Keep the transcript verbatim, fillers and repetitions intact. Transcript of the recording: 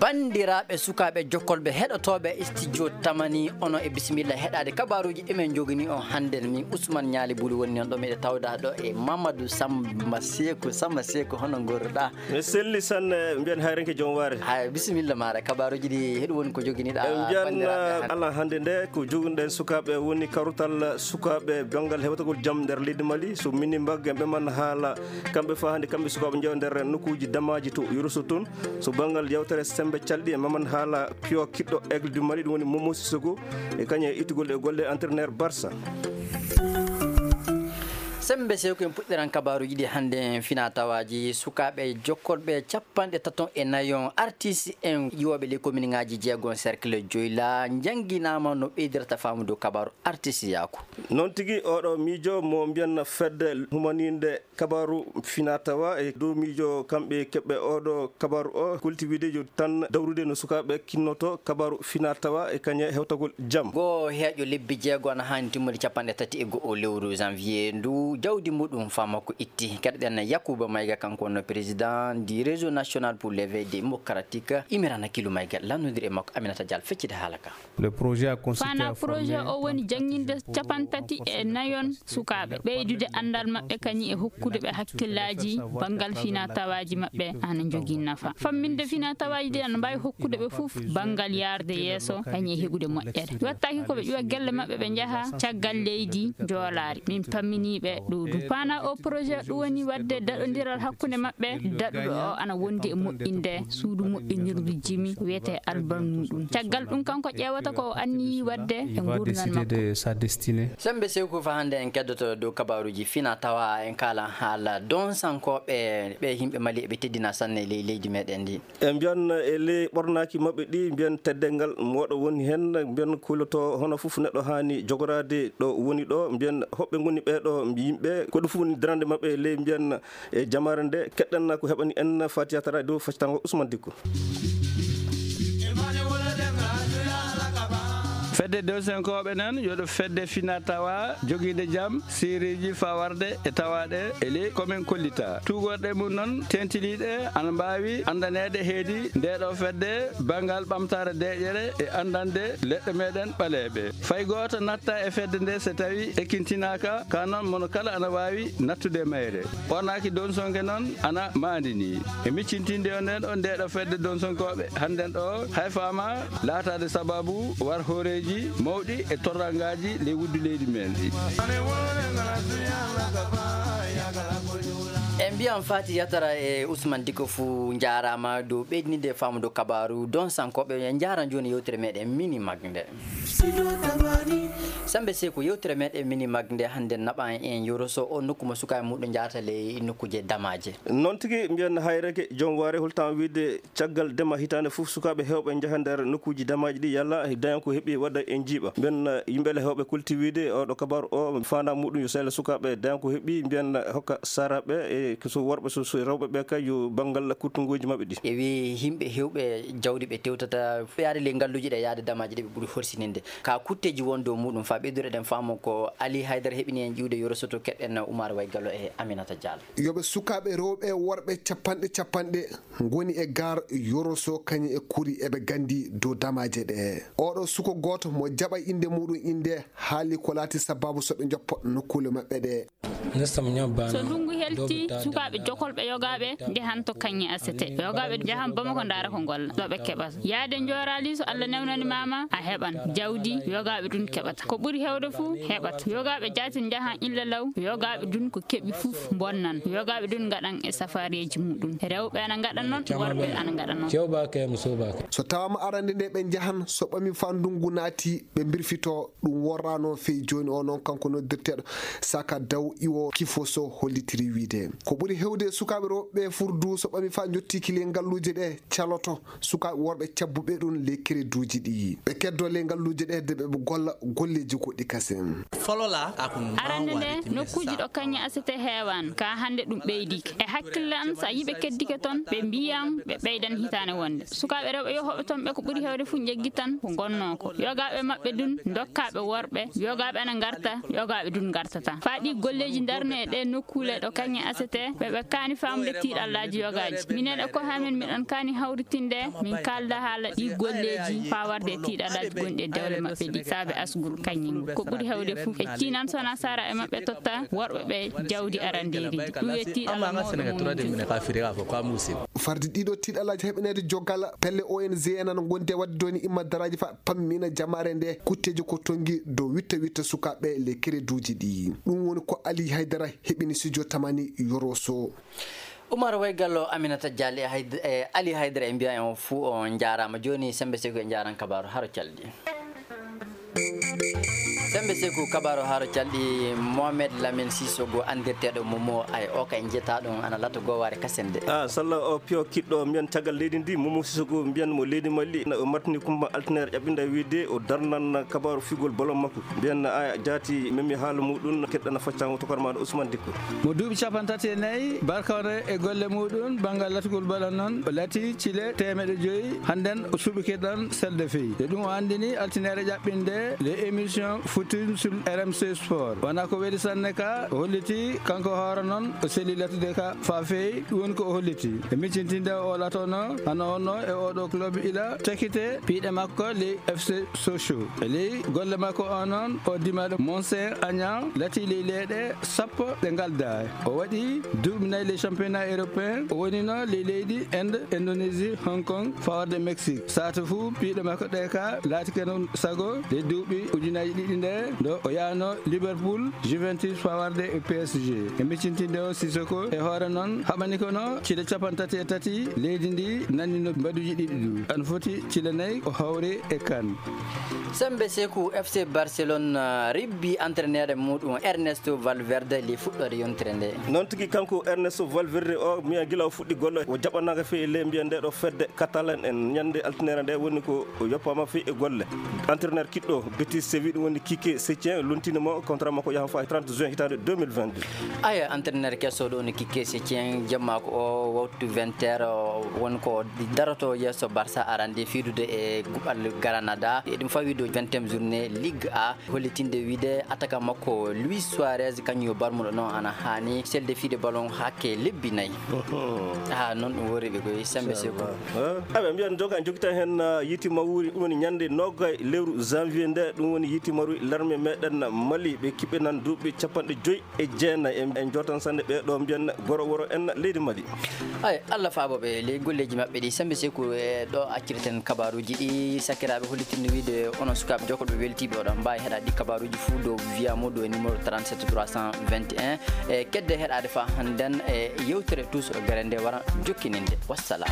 Banndiraaɓe sukaaɓe jokkolɓe heɗotooɓe studio Tamani, onon e bisimilla heɗaade kabaaruuji ɗi men njogini on hannden. Min Ousmane Ñaali Buli woni noon ɗo, miɗo tawda ɗo e Mamadou Samba Seeku. Samba Seeku, hono ngorruɗaa? Mi selli sanne, mbiyen hayrenke joom waare. Hay, bisimilla maaɗa, kabaaruuji ɗi heɗu woni ko joginiɗaa. En mbiyan, banndiraaɓe hannde. Alaa hannde nde ko joginɗen sukaaɓe woni kawrital sukaaɓe banngal hewtagol jam nder leydi Mali. So mini mbagge ɓe man haala kamɓe faa hannde kamɓe sukaaɓe njeewa nder nokkuuji damaaji to Yoroso toon. So banngal yewtere semmbe calɗi e maman haala piyo kiɗɗo Aigle du Mali, ɗum woni Momo Sissoko, e kañum e ittugol e golle entraîneur Barça. Semmbe Seeku, en puɗɗiran kabaaruuji ɗi hannde. Fina tawaaji sukaaɓe jokkolɓe capanɗe tato e nayon, artiste en ƴiwooɓe ley kominiŋaaji jeegom cercle Joyla njannginaama no ɓeydirta faamu dow kabaaru artistiyaaku. Noon tigi, oɗo miijo mo mbiyan fedde humaniinde kabaaru fina tawa e dow miijo kamɓe keɓɓe oɗo kabaaru o, kulti wiide yo tan dawrude no sukaaɓe kinnoto kabaaru fina tawa e kañe hewtagol jam. Goo heeƴo lebbi jeego ana haani timmude capanɗe tati e go'o lewru janvier ndu jawdi muɗum faa makko itti. Keɗoɗen Yakuba Mayga, kanko wonno président du réseau national pour l'éveil démocratique. Imirana Kilu Mayga, lanndondiri e makko Aminata Dial, feccide haala ka. Le projet a consisté Fana à projet former o woni jannginde capantati e nayon sukaaɓe, ɓeydude anndal maɓɓe kañum e hokkude ɓe hakkillaaji banngal fina tawaaji maɓɓe ana njogii nafa. Famminde fina tawaaji ɗi ana mbaawi hokkude ɓe fof banngal yaarde yeeso kañum e heɓude moƴƴere. Wattaaki ko ɓe ƴuwa gelle maɓɓe ɓe njaha caggal leydi njoolaari. Min pamminii ɓe ɗo du. Fana o projet ɗum woni waɗde daɗondiral hakkunde maɓɓe, daɗuɗo o ana wondi e moƴƴinde suudu moƴƴinirdu jimi wiyetee Alban muɗum. Caggal ɗum kanko ƴeewata ko o anniyii waɗde e Il va nguurndam décider makko. De sa destinée. Semmbe Seeku, faa hannde en keddoto dow kabaaruuji fina tawa, en kaala haala donsankooɓe, ɓe yimɓe Mali eɓe teddina sanne ley leydi meɗen ndi. E mbiyan e ley ɓornaaki maɓɓe ɗi, mbiyan teddeengal mooɗo woni heen, mbiyan kuloto hono fof neɗɗo haani jogoraade ɗo woni ɗo, mbiyan hoɓɓe ngoni ɓee ɗo yimɓe, ko ɗum fof woni darande maɓɓe ley mbiyan e jamaare nde. Keɗɗen ko heɓani en Fatiya Tara dow faccitango Ousmane Dikko. Fedde dewsenkooɓe nan yoɗo fedde fina tawa jogiinde jam, siriiji faa warde e tawaaɗe e ley ko min kollita. Tuugorɗe mum noon teentiniiɗe ana mbaawi anndaneede heedi nde ɗo fedde banngal ɓamtaare deeƴere e anndande leɗɗe meɗen ɓaleeɓe. Fay gooto natta e fedde nde so tawi ekkintinaaka, ka noon mono kala ana waawi nattude mayre. Ɓornaaki donsonke noon ana maandini. E miccintinde on nden on nde ɗo fedde donsonkooɓe hannden ɗo, hay faama laataade sababu war hooreeji mawɗi e torrangaaji ley wuddu leydi men ndi. En mbiyan Fati Yatara e Ousmane Diko fuu njaaraama dow ɓeydinde faamude kabaaru donsankooɓe. En njaara jooni yewtere meɗen Mini Mag nde. Semmbe Seeku, yewtere meɗen Mini Mag nde hannde naɓan en Yoroso, o nokku mo sukaaɓe muɗum njahata ley nokkuuje damaaje. Noon tigi, mbiyen hayreke joom waare, holtan wiide caggal dema hitaande fof sukaaɓe heewɓe njaha nder nokkuuji damaaji ɗi yalla dañan ko heɓi wadda e njiiɓa. Mbiyen yimɓe le heewɓe kulti wiide oɗo kabaaru o faandaare muɗum yo sehla sukaaɓe dañan ko heɓi, mbiyen hokka saaraaɓe e so worɓe so, so rewɓe ɓe kay yo banngal kuttungooji maɓɓe ɗi. E wi yimɓe heewɓe jawdi ɓe tewtata yaade ley ngalluuji ɗe yaade damaaji ɗe ɓe ɓuri horsininde. Ka kutteeji won dow muɗum faa ɓeydureɗen faamu ko Ali Haydara heɓini en ƴiwde Yoroso to keɗɗen Umar Way Gallo e Aminata Diallo. Yoɓe sukaaɓe rewɓe e worɓe capanɗe capanɗe ngoni e gaar Yoroso kañum e kuri eɓe nganndi dow damaaje ɗe. Oɗo suko gooto mo jaɓa innde muɗum innde haali ko laati sabaabu so ɓe njoppa nokkuule maɓɓe ɗe. So ndunngu helti, sukaaɓe jokolɓe yogaaɓe njahan to kañe asete. Yogaaɓe njahan Bamako ndaara ko ngolla, ɗo ɓe keɓata. Yaade njooraali so Allah newnani maama, a heɓan. Jawdi, yogaaɓe ɗum keɓata. Ko ɓuri heewde fuu, heɓata. Yogaaɓe jaatin njahan illa law, yogaaɓe ɗum ko keɓi fof bonnan. Yogaaɓe ɗum ngaɗan e safareeji muɗum. Rewɓe ana ngaɗa noon, worɓe ana ngaɗa noon. So tawaama arande nde ɓe njahan, so ɓami faa ndunngu naati, ɓe mbirfito, ɗum worraano fey jooni o noon, kanko noddirteeɗo Saka Daw Iwo Kifoso hollitiri wiide. Ko ɓuri heewde sukaaɓe rewɓe furdu so ɓami faa njottii kile ngalluuje ɗe caloto, sukaaɓe worɓe cabbuɓe ɗum ley kereduuji ɗi. Ɓe keddo ley ngalluuje Ɗe hedde ɓe golla golleeji goɗɗi kasen. Folola ako arande nde nokkuuji ɗo kañe asete heewaani ka hannde ɗum ɓeydike e hakkille am so a yiɓe keddike toon ɓe mbiyan ɓe ɓeydan hitaane wonde sukaaɓe rewɓe yohooɓe toon ɓe ko ɓuri heewde fof njeggi tan ko ngonnoo ko yogaaɓe maɓɓe dun dokkaaɓe worɓe yogaaɓe ana ngarta yogaaɓe dun ngartata faa ɗi golleeji ndarne e ɗe nokkuule ɗo kañe asete ɓe ɓe kaani faamude tiiɗallaaji yogaaji minen e ko hamen miɗon kaani hawritinde min kaalda haala ɗi golleeji faa warde e tiiɗallaaji gonɗi e dewle maɓɓe ɗi saabe asgol kañum ko ɓuri hewde fof e ciinan sona sara e maɓɓe totta worɓe ɓe jawdi arandeeri ɗum e tiiɗalla mawɗo mum farde ɗiɗo tiiɗallaaji heɓaneede jogal pelle ong en ana ngondi e waɗde doni imma daraaji fa pammina jamaare nde kutteeji ko tongi dow witta witta sukaaɓe le kereduuji ɗi ɗum woni ko Ali Haydara heɓini studio tamani yoroso. Umar Waygallo, Aminata Diallo e Hayd- e Ali Haydara e mbiya en on fuu on njaaraama. Jooni sembe seko e njaaran kabaaru haro calɗi. Sembe seko kabaaru haro calɗi Mohamed Lamine Sissoko andirteeɗo Momo ay o kay njeta ɗum ana lato gowaare kasen de. Ah, salla o piyo kiɗɗo mbiyan caggal leydi ndi Momo Sissoko mbiyan mo leydi Mali na o martini kumba altinaire ƴaɓɓinda wiide o darnan kabaaru figol bolon makko. Mbiyan a jaati memi haala muɗum keɗɗana faccango tokor maɗo Ousmane Dikko. Mo duuɓi capanɗe tati e nayi barkawre e golle muɗum banngal latgol bala noon o lati cile teemeɗe joyi hannden o suɓike ɗon selde fey e ɗum o anndini altinaire ƴaɓɓinde les émissions futur sur R M C Sport wona ko weli sanne ka o holliti kanko hoore noon o seli latude ka fa feewi ɗum woni ko o holliti e miccintinde o latono hano onno e oɗo club ila tekite piiɗe makko les F C Sochaux e ley golle makko o noon o dimaɗo Monsen Agnan lati ley leyɗe sappo ɗe ngalda o waɗi duuɓi nayi les championnat européen o wonino ley leydi Inde Indonésie Hong Kong faworde Mexique sato fuu piiɗe makko ɗe ka laatike noon sago ley duuɓi ujunaji ɗiɗi nde ndo o yahno Liverpool Juventus faworde e P S G e miccintinde o Sissoko e hoore noon haɓani kono cile capanɗe tati e tati leydi ndi nannino mbaduji ɗiɗi ɗu ana foti cile nayi o hawri e kan. Sembe Seku F C Barcelone ribbi entraîneur muɗum Ernesto Valverde li fuɗɗore yontere nde. Noon tigi kanko Ernesto Valverde o miya gila o fuɗɗi golle o jaɓanaaka fii le mbiya nde ɗo fedde Catalan en ñande altinaire nde woni ko o yoppama fii e golle. Entraîneur kiɗɗo Betis Séville ɗum woni Kike Setien lontini mo contrat makko yahan faa e trente juin hitande deux mille vingt-deux. Aya entraîneur keso ɗo woni Kike Setien jamma ko o wawtu vingt heures won ko daroto yeeso Barça arande fiidude e guɓal Granada e ɗum fawi ɗo vingtième journée Ligue A hollitinde wiide attaquant makko Luis Suarez kañum yo barmuɗo noon ana haani selde fiide ballon hakke lebbi nayi. Ha noon ɗum wori ɓe koye sembe seko. Aɓe mbiyan joga jogitan heen yiiti mawuri ɗum woni ñande nogay lewru janvier nde ɗum woni yiiti maru larme meɗen Mali ɓe kiɓɓe nan duuɓi capanɗe joyi e jeenayi en jootan sanne ɓe ɗo mbiyan goro woro en leydi Mali. Ay Allah faabo ɓe ley golleeji maɓɓe ɗi sembe seku e ɗo accirten kabaruuji ɗi sakiraaɓe hollitinno wiide onon sukaaɓe jokkoɓe weltiiɓe oɗon mbaawi heɗaade ɗi kabaruuji fuu dow via mo ɗo e numéro trente-sept trois cent vingt et un e kedde heɗaade fa hannden e yewtere tous o gare nde wara jokkininde wassalam.